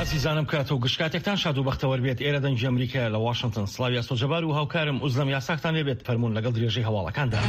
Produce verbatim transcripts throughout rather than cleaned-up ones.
ئازیزانم کات و گشت کاتێکتان شاد و بەختەوەر بێت. ئێرە دەنگی ئەمریکا لە واشنگتن. سڵاوی ئاسۆ جەبار و هاوکارم ئوزلەم یاساکتان لێبێت. فەرموون لەگەڵ درێژەی هەواڵەکاندا.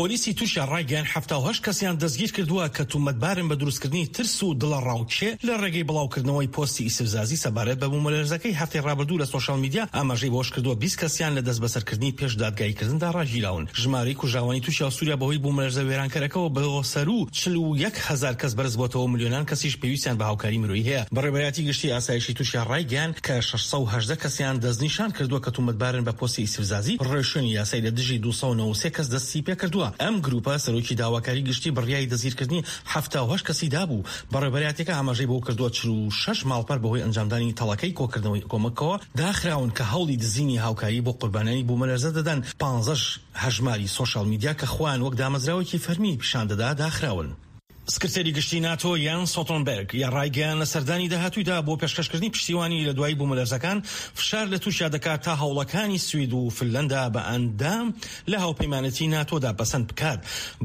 پۆلیسی تورکیا ڕایگەیاند حەفتا و هەشت کەسیان دەستگیر کردووە کە تومەتبارن بە دروستکردنی ترس و دڵەڕاوکێ لە ڕێگەی بڵاوکردنەوەی پۆستی ئیستفزازی سەبارەت بە بوومەلەرزەکەی هەفتەی ڕابردوو لە سۆشیال میدیا. ئاماژەی بەوەشکردووە بیست کەسیان لە دەستبەسەرکردنی پێش دادگاییکردندا ڕاگیراون. ژمارەی کوژراوانی تورکیا و سووریا بەهۆی بوومەلەرزە وێرانکەرەکەوە بۆ سەروو چل و یەک هەزار کەس بەرزبووەتەوە و ملیۆنان کەسیش پێویستیان بە هاوکاری مرۆیی هەیە. بەڕێوەبەرایەتی گشتی ئاسایشی تورکیا ڕایگەیاند کە شەش سەد و هەژدە کەسیان دەستنیشان کردووە کە تومەتبارن بە پۆستی ئیستفزازی. ڕێوشوێنی یاسایی لە دژی دوو سەد و نەوەد و سێ کەس دەستی پێکردووە. ئەم گروپە سەرۆکی داواکاری گشتی بڕیاری دەستگیرکردنی حەفتا و هەشت کەسی دابوو. بەڕێوەبەرایەتیەکە ئاماژەی بەوە کردووە چل و شەش ماڵپەڕ بەهۆی ئەنجامدانی تەڵەکەی کۆکردنەوەی کۆمەکەوە داخراون کە هەوڵی دزینی هاوکاری بۆ قوربانیانی بوومەلەرزە دەدەن. پانزەش هەژماری سۆشیال میدیا کە خۆیان وەک دامەزراوێکی فەرمی پیشان دەدا داخراون. سکرتێری گشتی ناتۆ یان سۆتۆنبێرگ یا ڕایگەیاند لە سەردانی داهاتوویدا بۆ پێشکەشکردنی پشتیوانی لە دوای بوومەلەرزەکان فشار لە تورکیا دەکات تا هەوڵەکانی سوید و فنلەندا بە ئەندام لە هاوپەیمانێتی ناتۆدا پەسەند بکات.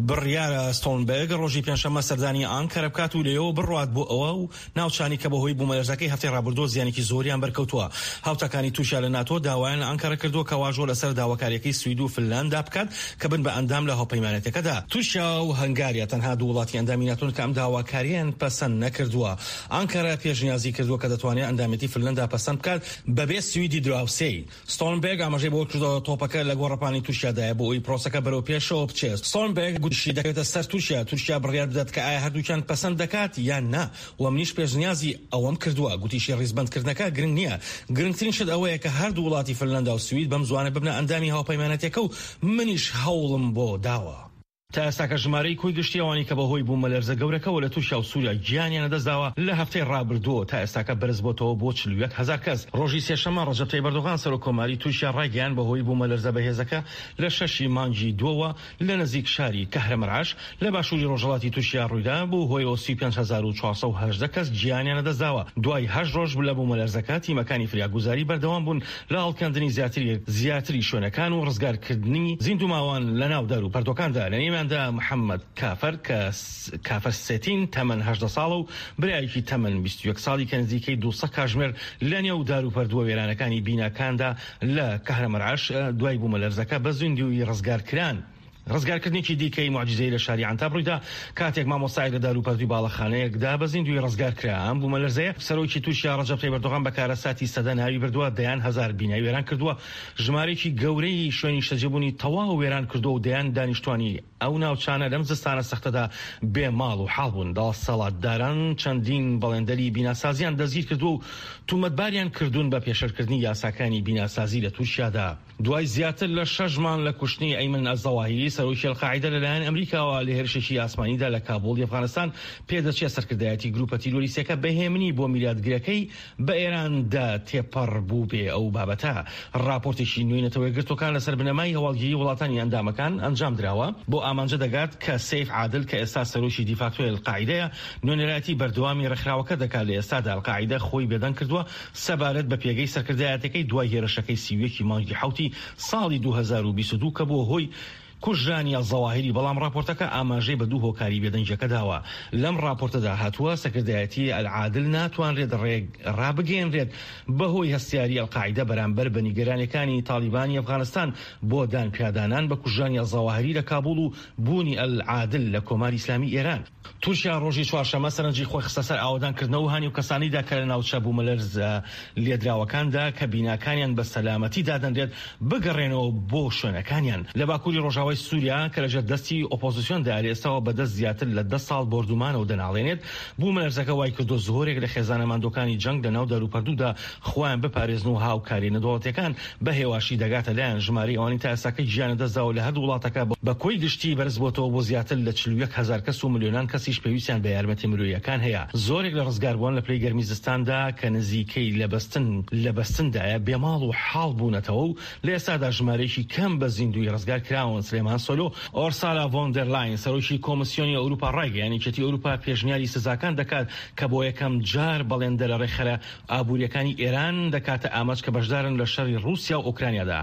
بڕیارە ستۆڵنبێرگ ڕۆژی پێنجشەممە سەردانی ئانکەرە بکات و لەوێوە بڕوات بۆ ئەوە و ناوچانی کە بەهۆی بوومەلەرزەکەی هەفتەی ڕابردووە زیانێکی زۆریان بەرکەوتووە. هاوتاکانی تورکیا لە ناتۆ داوایان لە ئانکەرە کردووە کە واژۆ لەسەر داواکاریەکەی سوید و فنلەندا بکات کە بن بە ئەندام لە هاوپەیمانێتەکەدا. تورکیا و هەنگاریا تەنها دوو وڵاتی ئەندامی ناتۆن کە ئەم داواکارییان پەسەند نەکردووە. ئانکەرە پێشنیازی کردووە کە دەتوانێت ئەندامێتی فنلەندا پەسەند بکات بەبێ سویدی دراوسێی. ستۆڵنبێرگ ئاماژەی بەوە کردووە تۆپەکە لە گۆڕەپانی تورکیادایە بۆ ئەوەی پرۆسەکە بەرەو پێشەوە بچێت. ستۆڵنبێرگ گوتیشی دەکەوێتە سەر تورکیا، تورکیا بڕیار بدات کە ئایا هەردووکیان پەسەند دەکات یان نا و منیش پێشنیازی ئەوەم کردووە. گوتیشی ڕیزبەندکردنەکە گرنگ نییە، گرنگترین شت ئەوەیە کە هەردوو وڵاتی فنلەندا و سوید بەم زوانە ببنە ئەندامی هاوپەیمانەتێکە و منیش هەوڵم بۆ داوە. تا ئێستاکە ژمارەی کۆی گشتی ئەوانەی کە بەهۆی بوومەلەرزە گەورەکەوە لە تورکیا و سووریا گیانیان لەدەستداوە لە هەفتەی ڕابردووەوە تا ئێستاکە بەرزبۆتەوە بۆ چل و یەک هەزار کەس. ڕۆژی سێشەممە ڕەجەب تەیب ئەردۆغان سەرۆک کۆماری تورکیا ڕایگەیاند بەهۆی بوومەلەرزە بەهێزەکە لە شەشی مانگی دووەوە لە نزیک شاری کەهرەمەرعەش لە باشووری ڕۆژهەڵاتی تورکیا ڕوویدا بوو هۆیەوە سی و پێنج هەزار و چوار سەد و هەژدە کەس گیانیان لەدەستداوە. دوای هەشت ڕۆژ لە بوومەلەرزەکە تیمەکانی فریاگوزاری بەردەوام بوون لە هەڵکەندنی زیاتری زیاتری شوێنەکان و ڕزگارکردنی زیندووماوان لە ناو دار و پەردۆکاندا. لە نێویاندا محەممەد کافەر کە کافەر سێتین تەمەن هەژدە ساڵە و برایەکی تەمەن بیست و یەک ساڵی کە نزیکەی دوو سەد کاژمێر لە نێو دار و پەردووە وێرانەکانی بیناکاندا لە کەهرەمەرعەش دوای بوومەلەرزەکە بە زیندوویی ڕزگار کران. ڕزگارکردنێکی دیکەی موعجیزەی لە شاری عەنتاب ڕوویدا کاتێک مامۆستایەک لە داروپەردووی باڵەخانەیەکدا بە زیندوویی ڕزگار کرا. ئەم بوومەلەرزەیە سەرۆکی تورکیا ڕەجەب تەیب ئەردۆغان بە کارەساتی سەدە ناوی بردووە، دەیان هەزار بینای وێران کردووە، ژمارەیەکی گەورەی شوێنی نیشتەجێبوونی تەواو وێران کردووە و دەیان دانیشتوانی ئەو ناوچانە لەم زستانە سەختەدا بێ ماڵ و حاڵ بوون. دەسەڵاتداران چەندین بەڵێندەری بیناسازیان دەستگیر کردووە و تومەتباریان کردوون بە پێشێلکردنی یاساکانی بیناسازی لە تورکیادا. دوای زیاتر لە شەش مانگ لە کوشتنی ئەیمەن ئەلزەواهیری سەرۆکی ئەلقاعیدە لەلایەن ئەمریکاوە لە هێرشێکی ئاسمانیدا لە کابوڵی ئەفغانستان، پێدەچێت سەرکردایەتی گروپە تیرۆریستیەکە بەهێمنی بۆ میراتگرەکەی بە ئێراندا تێپەڕ بوو بێ ئەو بابەتە. راپۆرتێکی نوێی نەتەوە یەکگرتووەکان لەسەر بنەمای هەواڵگیری وڵاتانی ئەندامەکان ئەنجام دراوە بۆ ئامانجە دەگات کە سەیف عادل کە ئێستا سەرۆکی دیفاکتۆی ئەلقاعیدەیە نوێنەرایەتی بەردەوامی ڕێکخراوەکە دەکات. لە ئێستادا ئەلقاعیدە خۆی بێدەنگ کردووە سەبارەت بە پێگەی سەرکردایەتەکەی دوای هێرشەکەی سی و یەکی مانگی حەوتی ساڵی دوو هەزار و بیست و دوو کە بووە هۆی کوژرانی ئەلزەواهیری، بەڵام راپۆرتەکە ئاماژەی بە دوو هۆکاری بێدەنگیەکە داوە. لەم راپۆرتەدا هاتووە سەرکردایەتی ئەلعادل ناتوانرێت ڕێگ ڕابگەیەنرێت بەهۆی هەستیاری ئەلقاعیدە بەرامبەر بە نیگەرانیەکانی تاڵیبانی ئەفغانستان بۆ دانپیادانان بە کوژرانی ئەلزەواهیری لە کابوڵ و بوونی ئەلعادل لە کۆماری ئیسلامی ئێران. تورکیا ڕۆژی چوارشەممە سەرنجی خۆی خستە سەر ئاوەدانکردنەوە و هانی و کەسانیدا کە لە ناوچە بوومەلەرزە لێدراوەکاندا کە بیناکانیان بە سەلامەتی دادەنرێت بگەڕێنەوە بۆ شوێنەکانیان لە باکووری ڕۆژاوای سووریا کە لەژێر دەستی ئۆپۆزیسیۆندا لە ئێستاوە بەدەست زیاتر لە دە ساڵ بۆردومانەوە دەناڵێنێت. بوومەلەرزەکە وای کردووە زۆرێک لە خێزانە ماندووەکانی جەنگ لە ناو داروپەردوودا خۆیان بپارێزن و هاوکاری نەدەوڵەتیەکان بە هێواشی دەگاتە لایەن. ژمارەی ئەوانەی تا ئێستاکە گیان لەدەستداوە لە هەردوو وڵاتەکە بە کۆی گشتی بەرزبووەتەوە بۆ زیاتر لە چل و یەک هەزار کەس و ملیۆنان کەسیش پێویستیان بە یارمەتی مرۆییەکان هەیە. زۆرێک لە ڕزگاربووان لە پلەی گەرمی زستاندا کە نزیکەی لە بەستن لە بەستندایە بێ ماڵ و حاڵ بوونەتەوە و لە ئێستادا ژمارەیەکی کەم بە زیندووی ڕزگار کراون. سلێمان سۆلۆ ئۆرسالا ڤۆن دێر لاین سەرۆکی کۆمیسیۆنی ئەوروپا ڕایگەیاند یەکێتی ئەوروپا پێشنیاری سزاکان دەکات کە بۆ یەکەم جار بەڵێندەرە ڕێکخەرە ئابووریەکانی ئێران دەکاتە ئامانج کە بەشدارن لە شەڕی ڕووسیا و ئۆکرانیادا.